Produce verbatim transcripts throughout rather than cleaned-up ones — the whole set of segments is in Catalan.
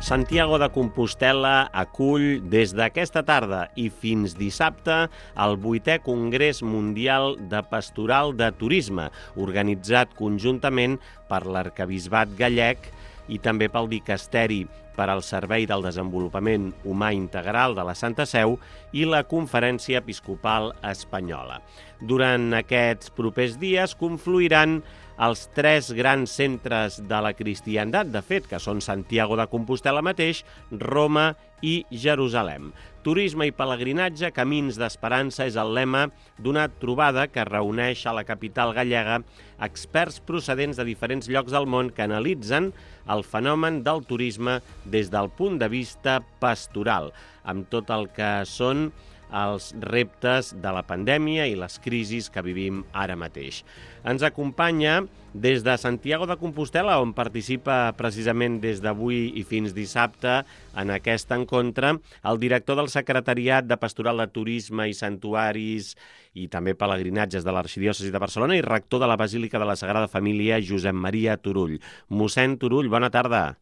Santiago de Compostel·la acull des d'aquesta tarda i fins dissabte el vuitè Congrés Mundial de Pastoral de Turisme, organitzat conjuntament per l'Arquebisbat Gallec i també pel Dicasteri per al Servei del Desenvolupament Humà Integral de la Santa Seu i la Conferència Episcopal Espanyola. Durant aquests propers dies confluiran els tres grans centres de la cristiandat, de fet, que són Santiago de Compostel·la mateix, Roma i Jerusalem. Turisme i pelegrinatge, camins d'esperança és el lema d'una trobada que reuneix a la capital gallega experts procedents de diferents llocs del món que analitzen el fenomen del turisme des del punt de vista pastoral, amb tot el que són els reptes de la pandèmia i les crisis que vivim ara mateix. Ens acompanya des de Santiago de Compostel·la, on participa precisament des d'avui i fins dissabte en aquest encontre, el director del Secretariat de Pastoral de Turisme i Santuaris i també pelegrinatges de l'Arxidiòcesi de Barcelona i rector de la Basílica de la Sagrada Família, Josep Maria Turull. Mossèn Turull, bona tarda.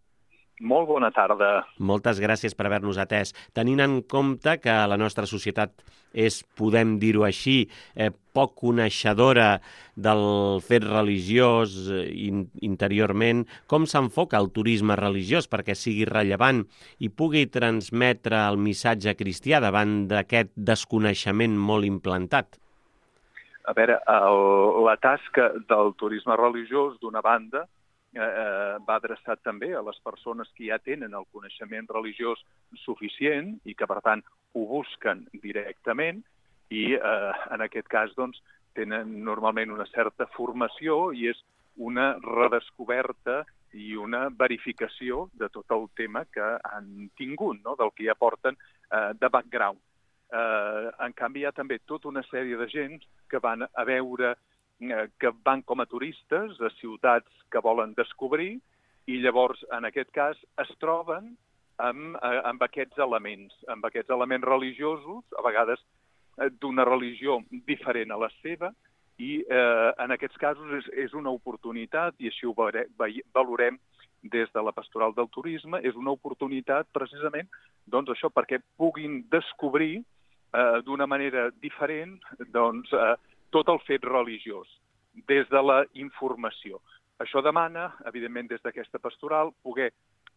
Molt bona tarda. Moltes gràcies per haver-nos atès. Tenint en compte que la nostra societat és, podem dir-ho així, eh, poc coneixedora del fet religiós in interiorment, com s'enfoca el turisme religiós perquè sigui rellevant i pugui transmetre el missatge cristià davant d'aquest desconeixement molt implantat? A veure, el, la tasca del turisme religiós, d'una banda, Eh, va adreçat també a les persones que ja tenen el coneixement religiós suficient i que, per tant, ho busquen directament i, eh, en aquest cas, doncs, tenen normalment una certa formació i és una redescoberta i una verificació de tot el tema que han tingut, no?, del que ja porten eh, de background. Eh, en canvi, hi ha també tota una sèrie de gent que van a veure que van com a turistes a ciutats que volen descobrir i llavors, en aquest cas, es troben amb, amb aquests elements, amb aquests elements religiosos, a vegades d'una religió diferent a la seva, i eh, en aquests casos és, és una oportunitat, i així ho valorem des de la Pastoral del Turisme, és una oportunitat precisament doncs, això perquè puguin descobrir eh, d'una manera diferent doncs, eh, tot el fet religiós, des de la informació. Això demana, evidentment, des d'aquesta pastoral, poder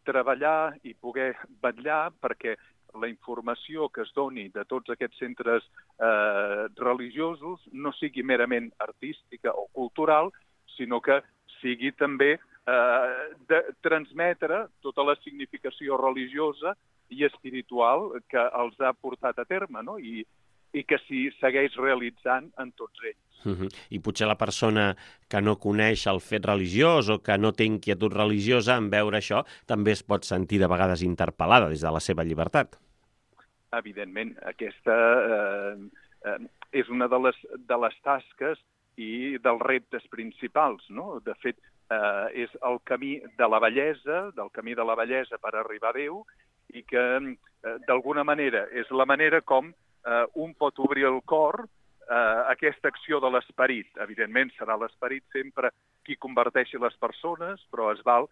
treballar i poder vetllar perquè la informació que es doni de tots aquests centres eh, religiosos no sigui merament artística o cultural, sinó que sigui també eh, de transmetre tota la significació religiosa i espiritual que els ha portat a terme, no? I, i que s'hi segueix realitzant en tots ells. Uh-huh. I potser la persona que no coneix el fet religiós o que no té inquietud religiosa en veure això també es pot sentir de vegades interpel·lada des de la seva llibertat. Evidentment, aquesta eh, eh, és una de les, de les tasques i dels reptes principals, no? De fet, eh, és el camí de la bellesa, del camí de la bellesa per arribar a Déu, i que, eh, d'alguna manera, és la manera com Uh, un pot obrir el cor uh, a aquesta acció de l'esperit. Evidentment, serà l'esperit sempre qui converteixi les persones, però es val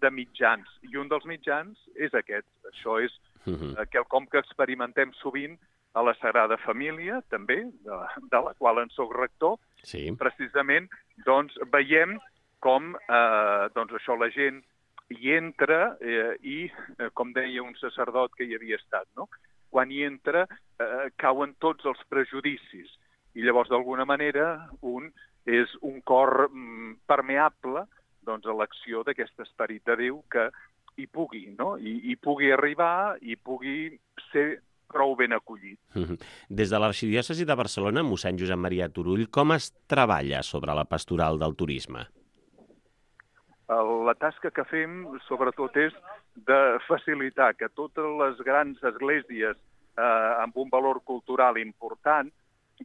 de mitjans. I un dels mitjans és aquest. Això és uh, quelcom que experimentem sovint a la Sagrada Família, també, de, de la qual en soc rector. Sí. Precisament, doncs, veiem com uh, doncs això la gent hi entra eh, i, eh, com deia un sacerdot que hi havia estat, no?, quan hi entra, eh, cauen tots els prejudicis. I llavors, d'alguna manera, un és un cor mm, permeable doncs, a l'acció d'aquest esperit de Déu que hi pugui, no? I, i pugui arribar i pugui ser prou ben acollit. Des de l'Arxidiòcesi de Barcelona, mossèn Josep Maria Turull, com es treballa sobre la pastoral del turisme? La tasca que fem, sobretot, és de facilitar que totes les grans esglésies eh, amb un valor cultural important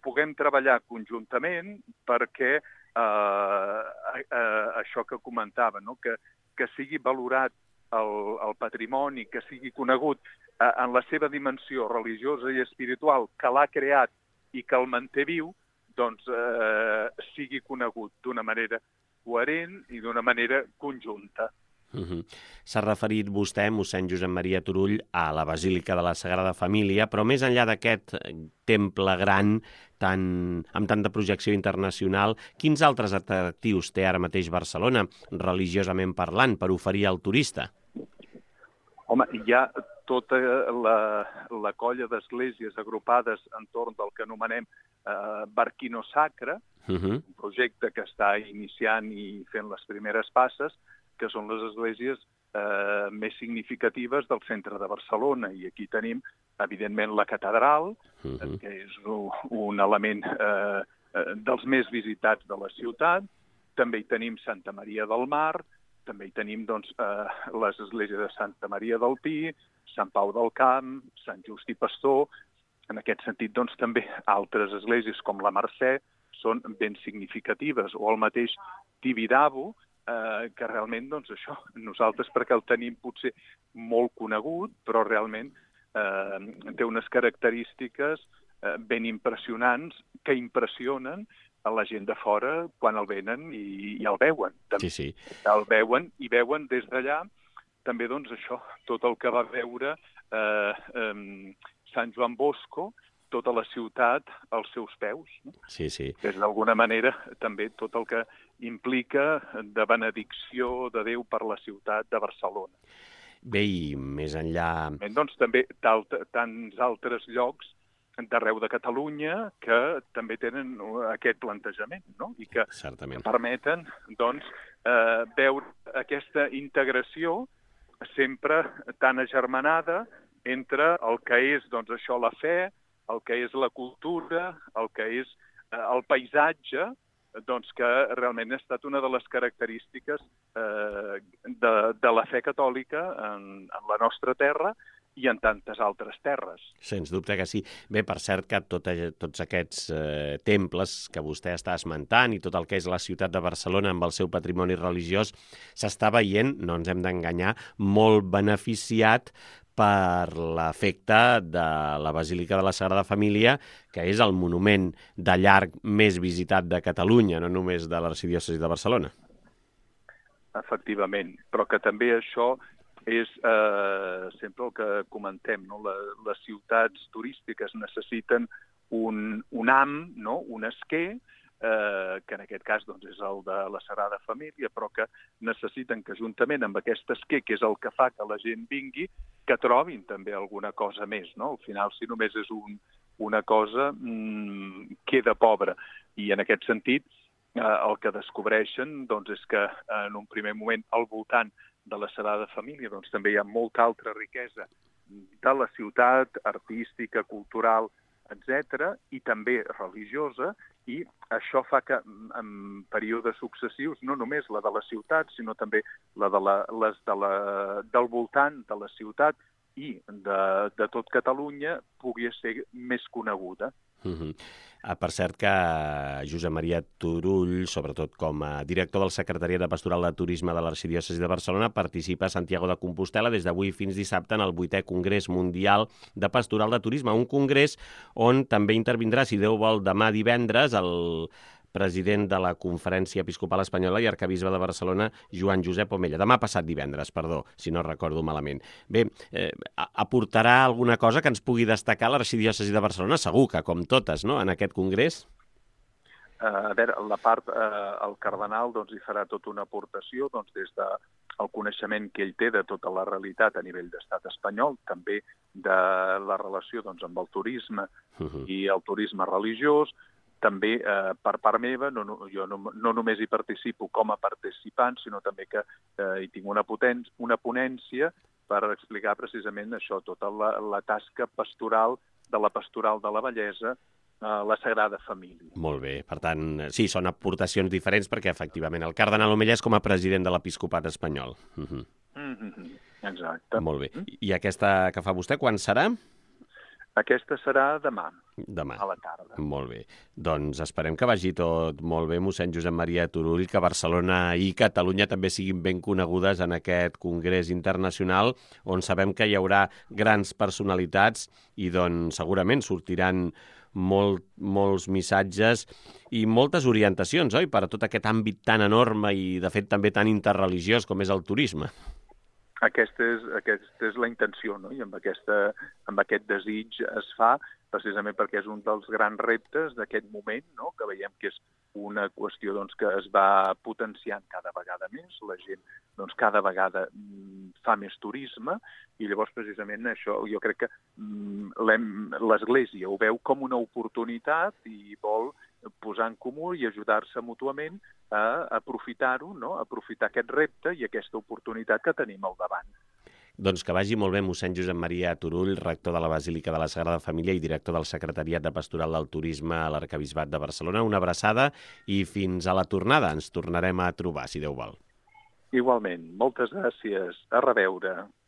puguem treballar conjuntament perquè eh, eh, això que comentava, no? que, que sigui valorat el, el patrimoni, que sigui conegut eh, en la seva dimensió religiosa i espiritual que l'ha creat i que el manté viu, doncs eh, sigui conegut d'una manera coherent i d'una manera conjunta. Uh-huh. S'ha referit vostè, mossèn Josep Maria Turull, a la Basílica de la Sagrada Família, però més enllà d'aquest temple gran tan, amb tanta projecció internacional, quins altres atractius té ara mateix Barcelona, religiosament parlant, per oferir al turista? Home, hi ha tota la, la colla d'esglésies agrupades entorn del que anomenem eh, Barquino Sacre, uh-huh. un projecte que està iniciant i fent les primeres passes, que són les esglésies eh, més significatives del centre de Barcelona. I aquí tenim, evidentment, la catedral, uh-huh. que és un, un element eh, dels més visitats de la ciutat. També hi tenim Santa Maria del Mar, també hi tenim doncs, eh, les esglésies de Santa Maria del Pi, Sant Pau del Camp, Sant Just i Pastor. En aquest sentit, doncs, també altres esglésies com la Mercè són ben significatives, o el mateix Tibidabo, eh, que realment, doncs, això, nosaltres perquè el tenim potser molt conegut, però realment eh, té unes característiques eh, ben impressionants que impressionen a la gent de fora quan el venen i, i el veuen. Sí, sí. El veuen i veuen des d'allà també, doncs, això, tot el que va veure eh, eh, Sant Joan Bosco, tota la ciutat als seus peus. No? Sí, sí. És d'alguna manera també tot el que implica de benedicció de Déu per la ciutat de Barcelona. Bé, i més enllà... Doncs també tants altres llocs d'arreu de Catalunya que també tenen aquest plantejament, no? I que Certament. permeten doncs, eh, veure aquesta integració sempre tan agermanada entre el que és doncs, això la fe, el que és la cultura, el que és eh, el paisatge, doncs que realment ha estat una de les característiques eh, de, de la fe catòlica en, en la nostra terra i en tantes altres terres. Sens dubte que sí. Bé, per cert que tot, tots aquests eh, temples que vostè està esmentant i tot el que és la ciutat de Barcelona amb el seu patrimoni religiós s'està veient, no ens hem d'enganyar, molt beneficiat per l'efecte de la Basílica de la Sagrada Família, que és el monument de llarg més visitat de Catalunya, no només de l'arxidiòcesi de Barcelona. Efectivament, però que també això és eh, sempre el que comentem, no? La, les ciutats turístiques necessiten un, un ham, no? Un esquer, eh, que en aquest cas doncs, és el de la Sagrada Família, però que necessiten que juntament amb aquest esquer, que és el que fa que la gent vingui, que trobin també alguna cosa més, no? Al final, si només és un, una cosa, mmm, queda pobra. I en aquest sentit, eh, el que descobreixen doncs, és que en un primer moment al voltant de la Sagrada Família doncs, també hi ha molta altra riquesa de la ciutat, artística, cultural, etcètera, i també religiosa, i això fa que en períodes successius, no només la de la ciutat, sinó també la de la, les de la, del voltant de la ciutat i de, de tot Catalunya pugui ser més coneguda. Uh-huh. Ah, per cert que Josep Maria Turull, sobretot com a director del Secretariat de Pastoral de Turisme de l'Arxidiòcesi de Barcelona, participa a Santiago de Compostel·la des d'avui fins dissabte en el vuitè Congrés Mundial de Pastoral de Turisme, un congrés on també intervindrà, si Déu vol, demà divendres, el president de la Conferència Episcopal Espanyola i arcabisbe de Barcelona, Joan Josep Omella. Demà passat divendres, perdó, si no recordo malament. Bé, eh, aportarà alguna cosa que ens pugui destacar l'Arxidiòcesi de Barcelona? Segur que, com totes, no?, en aquest congrés? Uh, a veure, la part, uh, el cardenal doncs, hi farà tota una aportació doncs, des del coneixement que ell té de tota la realitat a nivell d'estat espanyol, també de la relació doncs, amb el turisme uh-huh. i el turisme religiós. També, eh, per part meva, no, no, jo no, no només hi participo com a participant, sinó també que eh, hi tinc una, poten una ponència per explicar precisament això, tota la, la tasca pastoral de la pastoral de la bellesa a la Sagrada Família. Molt bé. Per tant, sí, són aportacions diferents perquè, efectivament, el cardenal Omella és com a president de l'Episcopat espanyol. Uh-huh. Mm-hmm. Exacte. Molt bé. I aquesta que fa vostè, quan serà? Aquesta serà demà, demà, a la tarda. Molt bé. Doncs esperem que vagi tot molt bé, mossèn Josep Maria Turull, que Barcelona i Catalunya també siguin ben conegudes en aquest congrés internacional, on sabem que hi haurà grans personalitats i doncs segurament sortiran molt, molts missatges i moltes orientacions, oi?, per a tot aquest àmbit tan enorme i, de fet, també tan interreligiós com és el turisme. Aquesta és, aquesta és la intenció, no? I amb, aquesta, amb aquest desig es fa, precisament perquè és un dels grans reptes d'aquest moment, no? Que veiem que és una qüestió doncs, que es va potenciant cada vegada més, la gent doncs, cada vegada mm, fa més turisme, i llavors precisament això jo crec que mm, l'Església ho veu com una oportunitat i vol posar en comú i ajudar-se mútuament a aprofitar-ho, no? Aprofitar aquest repte i aquesta oportunitat que tenim al davant. Doncs que vagi molt bé mossèn Josep Maria Turull, rector de la Basílica de la Sagrada Família i director del Secretariat de Pastoral del Turisme a l'Arquebisbat de Barcelona. Una abraçada i fins a la tornada. Ens tornarem a trobar, si Déu vol. Igualment. Moltes gràcies. A reveure.